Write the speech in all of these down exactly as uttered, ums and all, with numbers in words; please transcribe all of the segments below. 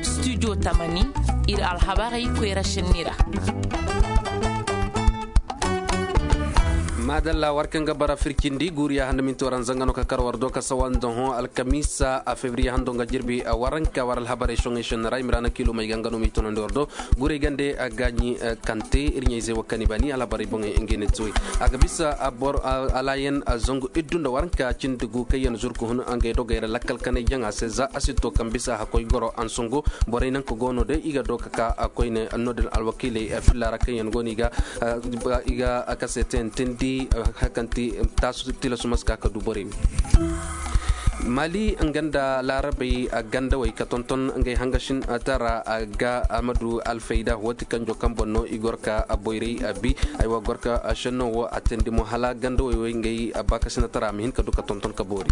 Studio tamani, iri alhabarey koyra senni ra. Madalla, war kaŋ ga bara fircindi guuriya hando minti waranza nga no ka kar war do ka sawa nda hõ alkamiisa a febriye hando nga jirbi a waranka war alhabarey soŋey senni ra i ma ra na kiilo may ga nga no m'i tunandi war do. Guray gande a gaaɲi kante iri ɲayzey wo kaŋ i ba ni alhabarey boŋey ngey ne te way. A ga bisa a bor alayen zangu iddu nda waranka cindi gu kaŋ yaŋ zuru ka hun ngey dogey ra lakkal kanay jaŋa se za a si to kaŋ bisa hakkoy goro ansango. Borey nanka go no day i ga do ka ka koyne no-din alwakiiley filla ra kaŋ yaŋ go no i ga i ga kaseteyaŋ tindi hakanti taasu tilasu ma si ka ka du borey. Mali nga nda laarabey gandawey ka tonton ngey hangasin tara ga a ma du alfayda wo- din kanjo kaŋ boŋ no i goro ka boyray bi. Ay wo goro ka senno wo a teendi mo hala gandawey wo ngey baakasinatara ma hin ka du ka tonton ka boori.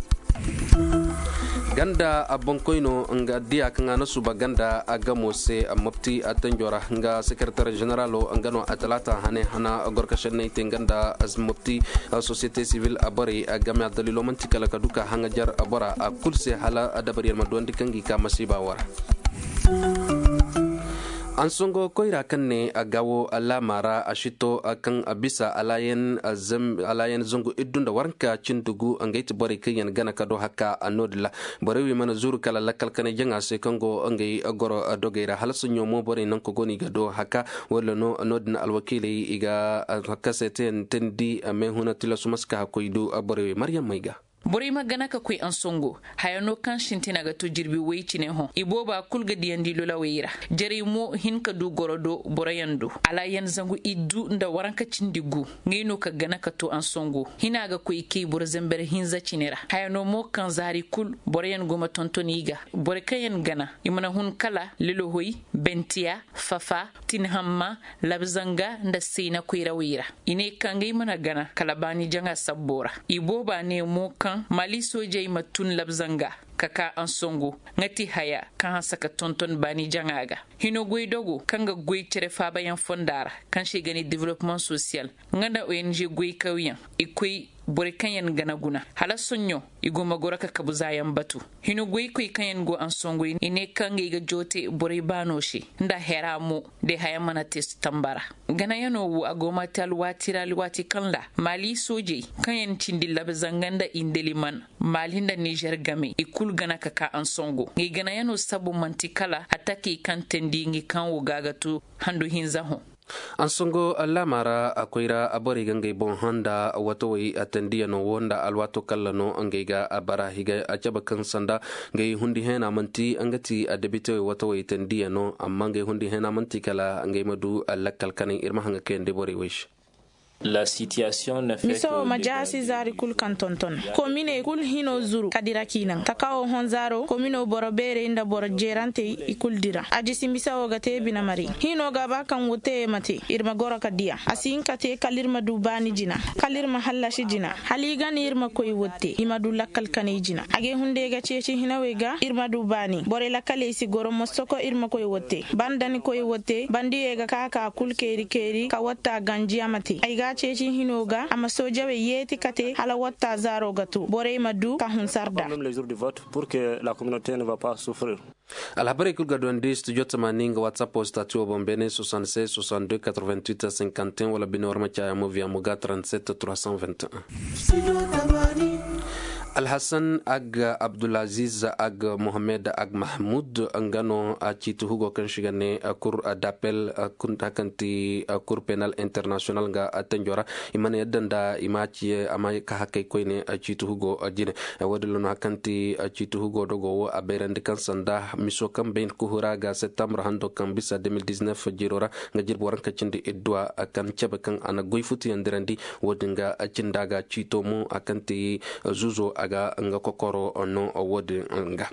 Ganda boŋkoyno nga diya kaŋ a na suba ganda gamo se mopti tanjo ra nga sekeretar zeneralo nga no a talaata hane hana goro ka senney te nga nda mopti société civile borey game a daliilo manti kala ka du ka haŋajar bora kulu se hala dabaryaŋ ma duwandi kaŋ ga i ka masiiba wo ra. Ansango koyra kaŋ ne a gawo laama ra a sito kaŋ bisa alayen zangu iddu nda waranka cindi gu ngey ti borey kaŋ yaŋ gana ka do haka no-din ra. Borey wo i mana zuru kala lakkal kanay jaŋa se kaŋ go ngey goro dogey ra hala soɲõ mo borey nanka go no i ga do haka wala no no-din alwakiiley i ga kaseteyaŋ teendi meehuna tilasu ma si ka hakkoy du borey wo maryaŋ may ga. Borey ma gana ka koy ansango haya no kaŋ sintina ga to jirbi way cine hõ i booba kulu ga diyandi lolawey ra. Jarey mo hin ka du goro do boroyaŋ do alayaŋ zangu iddu nda waranka cindi gu. Ngey no ka gana ka to ansango hina ga koy kay boro zamber hinza cine ra haya no mo kaŋ zaari kulu boroyaŋ go ma tonton i ga. Borey kaŋ yaŋ gana i mana hun kala lilohoy, bentiya, fafa, tinhamma, labzanga nda sayna koyrawey ra. I ne ka ngey mana gana kala baani jaŋa sabbo ra. I booba ne mo kaŋ mali soojey ma tun labzanga ka ka ansango nga ti haya kaŋ hanse ka tonton baani jaŋa ga. Hino goydogo kaŋ ga goy cere faabayaŋ fonda ra kaŋ se i ga ne development social nga nda ong goykawyaŋ i koy borey kaŋ yaŋ gana guna hala soɲõ i go ma goro ka kabu zaayaŋ batu. Hino goykoy kaŋ yaŋ go ansango i ne kaŋ ngey ga joote borey baano se nda hera mo day haya mana te tambara. Ganayaŋo wo a go ma te alwaati ra alwaati kaŋ ra mali soojey kaŋ yaŋ cindi labzanga nda indeliman mali nda nizer game i kulu gana ka ka ansango ngey ganayaŋo sabu manti kala atakey kaŋ teendi ngey kaŋ wo ga ga to handu hinza hõ. Ansango laama ra a koyra borey ga ngey boŋ hã nda watawey a teendiyaŋo wo nda alwaato kalla no ngey ga a bara i ga a cabe kaŋ sanda ngey hundi heena manti nga ti a debitewey watawey teendiyaŋo amma ngey hundi heena manti kala ngey ma du lakkal kanay iri ma haŋ ga kayandi borey wey se. Miso wo ma jaasi zaari kulu kaŋ tonton kominey kulu hino zuru ka dira k'i naŋ taka wo hõ zaaro komino boro beerey nda boro jeerantey i kulu dira a jisi miso wo ga te bine mari hino ga ba kaŋ wo te ma te iri ma goro ka diya a si hin ka te kala iri ma du baani jina kala iri ma hallasi jina hala i gana iri ma koy wotte i ma du lakkal kanay jina a ga ay hunday ga ceeci hinawey ga iri ma du baani borey lakkaley si goro mosoko iri ma koy wotte banda ni koy wotte bandiyey ga ka ka kulu keeri keeri ka watta ganji a ma te ay ga a ceeci hino ga a ma soojawey yeeti ka te hala watta zaaro ga to borey ma du ka hunsar da. Alhabarey kulu ga duwandi studio tamaani nga whatsapp wo stati wo boŋ beene soixante-seize soixante-deux quatre-vingt-huit cinquante et un wala bine war ma caaya mo via mo ga trente-sept trois cent vingt et un. Alhasan ag abdulaziz ag mohamed ag mahmud nga no a ciiti hugo kaŋ si ga ne cour d'appel, hakanti cour penal international nga tanjo ra. I mana yadda nda i ma ci a ma ka hakay koyne ciiti hugo jine. Wo- din lona hakanti ciiti hugo dogo wo a bayrandi kaŋ sanda miso kaŋ bay kuhu ra ga septembre hando kaŋ bisa deux mille dix-neuf jiro ra nga jirbi waranka cindi idduwa kaŋ cabe kaŋ a na goy futuyandirandi. Wo- din ga cinda ga ciito mo a kaŋ te zuzo a ga nga kokoro no wo- din ga.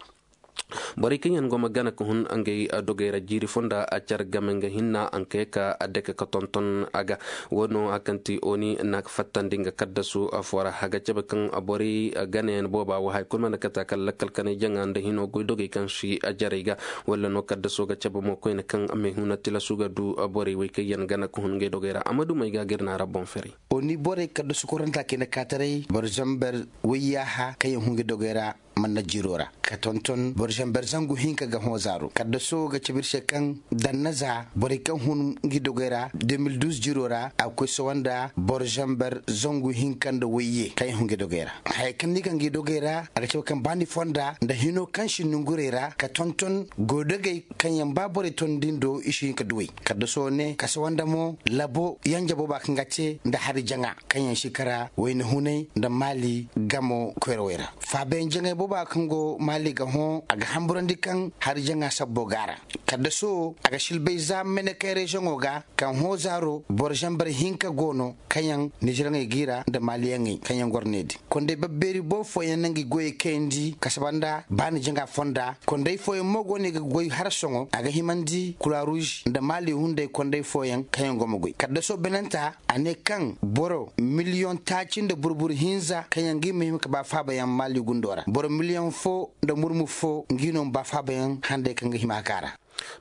Borey kaŋ yaŋ go ma gana ka hun ngey dogey ra jiiri fonda a care game nga hinna a kay ka a dake ka tonton a ga. Wo- no a kaŋ te oni na fattandi nga kaddasu fo ra a ga cabe kaŋ borey ganayaŋ booba wo hari kulu mana kate a kala lakkal kanay jaŋa nda hino goy dogey kaŋ si a jarey ga. Wala no kaddaso ga cabe mo koyne kaŋ a ma huna tilasu ga du borey wey kaŋ yaŋ gana ka hun ngey dogey ra a ma dumey ga ga iri na ra boŋ ferey. Oni borey kaddasu koranta kayna kaataray boro zamber wayyaaha kaŋ yaŋ hun ngey dogey ra. manna jiro ra ka tonton boro zamber zangu hinka ga hõ zaaro kaddaso ga cabe iri se kaŋ danna za borey kaŋ hun ngi dogey ra deux mille douze jiro ra a ga koy sawa nda boro zamber zangu hinka nda wayye kaŋ yaŋ hun ngi dogey ra. Hayey kaŋ ni ga ngi dogey ra a ga cabe kaŋ ba ni fonda nda hino kaŋ si nungurey ra ka tonton goydogey kaŋ yaŋ ba borey ton din do i si hin ka duwey kaddaso ne kasa wanda mo labo yanja booba kaŋ ga te nda hari jaŋa kaŋ yaŋ si kara wayna hunay nda maali gamo koyrawey ra. Faabayaŋ jaŋay booba kaŋ go maali ga hõ a ga hamburandi kaŋ hari jaŋa sabbo ga a ra. Kaddaso a ga silbay za mene kay reziyoŋo ga kaŋ hõ zaaro boro zambar hinka go no kaŋ yaŋ niziraŋey g'i ra nda maaliyaŋey kaŋ yaŋ goro ne din konday babbeeri boobo fooyaŋ na ngi goyey kayandi kasa banda baani jaŋa fonda konday fooyaŋ mo go no i ga goy harasoŋo a ga himandi kura ruuz nda maali hunday konday fooyaŋ kaŋ yaŋ go ma goy kaddaso binanta a ne kaŋ boro miliyoŋ taaci nda burbur hinza kaŋ yaŋ ga i ma hima ka ba faabayaŋ maali gundo ra boro miliyoŋ fo nda murmu fo ngi no ma ba faabayaŋ handay kaŋ ga hima ka ra.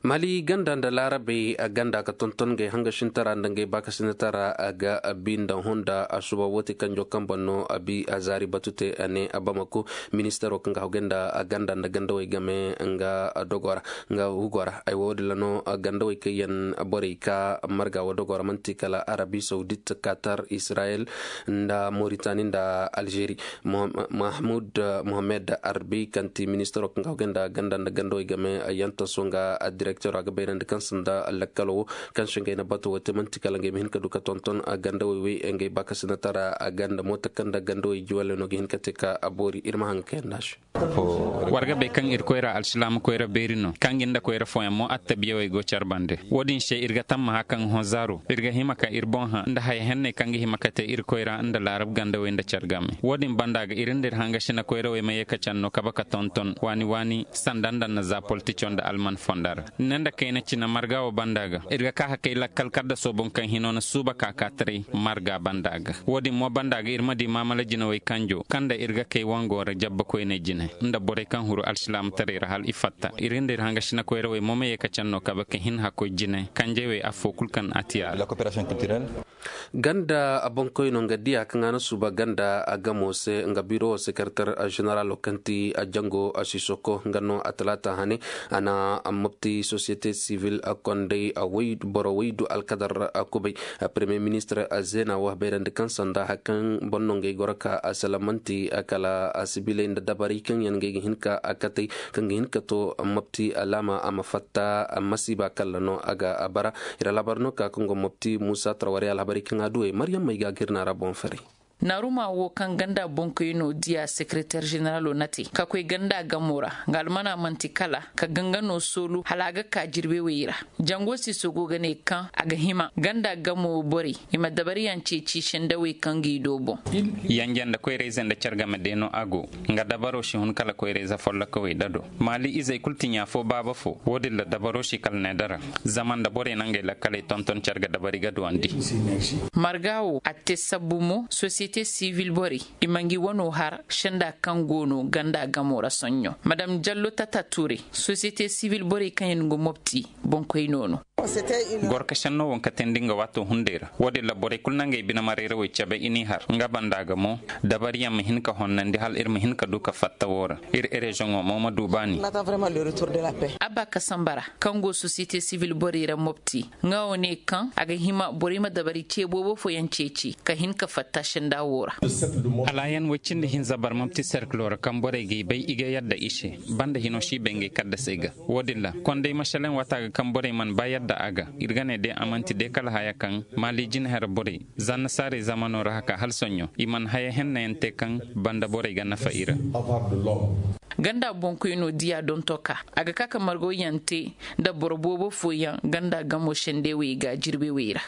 Mali ganda nda laarabey ganda ka tonton ngey hanga sintara nda ngey baakasinatara ga bi nda honda suba woote kanjo kambe no a bi a zaari batu te a ne a bamako ministaro kaŋ ga hawgay nda ganda nda gandawey game nga dogo ra nga hugo ra ay wo din ra no gandawey kaŋ yaŋ borey ka marga wo dogo ra manti kala arabi saudit katar israel nda moritani nda algeri. Mahmud mohamed arbi kaŋ ti ministaro kaŋ ga hawgay nda ganda nda gandawey game yantaso nga directeur a ga bayrandi kaŋ sanda lakkalo wo kaŋ se ngey na bato wo te manti kala ngey ma hin ka du ka tonton gandawey wey ngey baakasinatara ganda moota kaŋ nda gandawey juwalley no ga hin ka te ka boori iri ma hanga ka yanda se. War ga bay kaŋ irkoy ra alsilaama koyra beeri no kaŋ ga nda koyra fooyaŋ mo attabiyawey go care bande. Wo-din se iri ga tammaha kaŋ hõ zaaro iri ga hima ka iri boŋ hã nda haya henney kaŋ ga hima ka te irkoy ra nda laarab gandawey nda care game. Wo-din banda ga iri nda iri hanga sina koyrawey ma ye ka care no kabe ka tonton waani waani sanda nda na za politico nda alman fonda ra. Ne nda kayna cina marga wo banda ga iri ga ka hakay lakkal kaddaso boŋ kaŋ hino na suuba ka ka taray marga banda ga. Wo-din mo banda ga iri ma di maamala jinawey kanjo kaŋ nda iri ga kay wango ra jabba koyney jine nda borey kaŋ huru alsilaamataray ra hal i fatta iri nda iri hanga sina koyrawey mo ma ye ka care no kabe ka hin hakkoy jine kanjey wey affo kulu kaŋ a ti a ra. Ganda boŋkoy no nga diya kaŋ a na suuba ganda a gamo se nga biro wo sekretar generalo kaŋ ti a jango a sisoko nga no a talaata hane a na mopti société civil kondey boro waydu alkadar kubay premier ministre zena wo bayrandi kaŋ sanda hari kaŋ boŋ no ngey goro ka a salamanti kala sibiley nda dabarey kaŋ yaŋ ngey ga hin ka katay kaŋ ga hin ka to mopti alaama a ma fatta masiiba kalla no a ga bara. Iri alhabar no ka kaŋ go mopti muusa tarwarey alhabarey kaŋ a duwey maryam may ga ga iri naara boŋ faray. Naaruma wo kaŋ ganda boŋkoyno diya sekreter zeneralo na te ka koy ganda gamo ra nga almana manti kala ka ganga no soolu hala a ga ka jirbe wey ra. Jango siso go ga ne kaŋ a ga hima ganda gamo borey i ma dabariyaŋ ceeci sendawey kaŋ g'i do boŋ. Yanje nda koyrayze nda care game de no a go. Nga dabaro si hun kala koyrayze folloka wey dado maali izey kulu ti ɲa fo baaba fo wo-din ra dabaro si kala ne dara. Zama nda borey na ngey lakkaley tonton care ga dabari ga duwandi. Marga wo a te sabbu mo sosiyete sivil borey i ma ngi wano har senda kaŋ go no ganda gamo ra soɲɲo madam jallo tata ture sosiyete sivil borey kaŋ yaŋ go mopti boŋkoyno no. Gorkasen no waŋ ka teendi nga waato hunday ra wo-din ra borey kulu na ngey bine marayrawey cabe i n'i har nga banda ga mo dabariyaŋ ma hin ka honnandi hala iri ma hin ka du ka fatta wo ra. Iri erezoŋo mo ma du baani. Abba kasambara kaŋ go sosiyete sivil borey ra mopti nga wo ne kaŋ a ga hima borey ma dabari ce boobo fooyaŋ ceeci ka hin ka fatta senda wo ra. Alaayan way cindi hinza barmam ti serkilo ra kaŋ borey g'i bay i ga yadda i se banda hino si bay ngey kaddasey ga. Wo-din ra konday masalaŋ waata ga kaŋ borey mana ba yadda a ga. Iri ga ne day a manti day kala haya kaŋ maali jinahera borey zanna saarey zamano ra haka hala soɲɲo i mana haya hennayaŋ te kaŋ banda borey ga nafa i ra. Ganda boŋkoyno diya donto ka a ga ka ka margoyaŋ te nda boro boobo fooyaŋ ganda gamo sendewey ga jirbewey ra.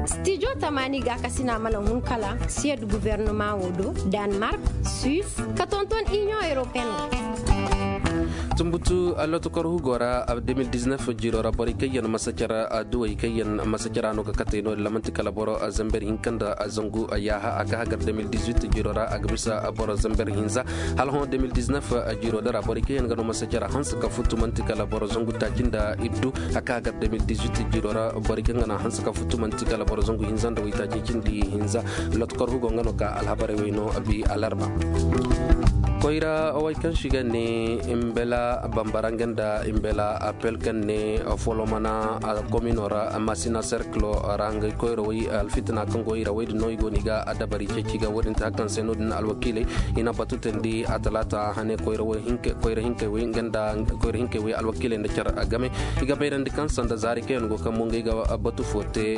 Stijo tamaani gaakasina mana hun kala siyad gubernama wo do, danmark, suisse ka tonton union européenne. Tumbutu lotokor hugo ra, deux mille dix-neuf jiro ra borey kaŋ yaŋ masacara duwey kaŋ yaŋ masacara no ga katey no din lamanti kala boro zamber hinka nda zangu yaaha a ga hagar deux mille dix-huit jiro ra a ga bisa boro zamber hinza. Hala hõ deux mille dix-neuf jiro din ra borey kaŋ yaŋ ga no masacara hanse ka futu manti kala boro zangu taaci nda iddu a ga hagar deux mille dix-huit jiro ra borey kaŋ ga no hanse ka futu manti kala boro zangu hinza nda waytaaci cindi hinza. Lotokor hugo nga no ka alhabarey wey no bi alarba. Koyra way kaŋ si ga ne imbela bambara nga nda imbela apel kaŋ ne folomana komino ra masina serklo ra nga koyra way alfitina kaŋ go i ra way din no i go no i ga dabari ceeci ga wo- din te hakan se no- din alwakiiley i na batu tandi a talaata hane koyra hinkey way nga nda koyra hinkey way alwakiiley nda care game. I ga bayrandi kaŋ sanda zaari kaŋ yaŋ go kaŋ mo ngey ga batu fo te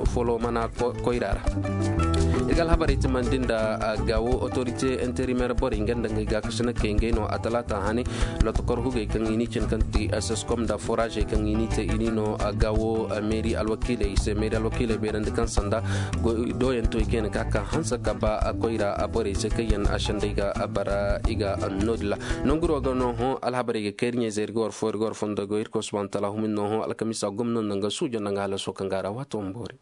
folomana koyra ra. I ga alhabarey timandi nda gawo autorité intérimaire borey nga nda ngey ga kasina kay ngey no a talaata hane. Lotokor hugey kaŋ i ni cin kaŋ ti seskom nda foragey kaŋ i ni te i ni no gawo meeri alwakiiley se meeri alwakiiley bayrandi kaŋ sanda doyanto i kayna ka ka hanse ka ba koyra borey se kaŋ yaŋ a sendey ga bara i ga no- din ra. Nanguro ga no hõ alhabarey ga kayri ɲey zey iri ga war fo iri ga war fondo go iri koy subhanahu wa taala humin no hõ alkamisa gomno nda nga suujo nda nga halaso kaŋ ga a ra waato ma boori.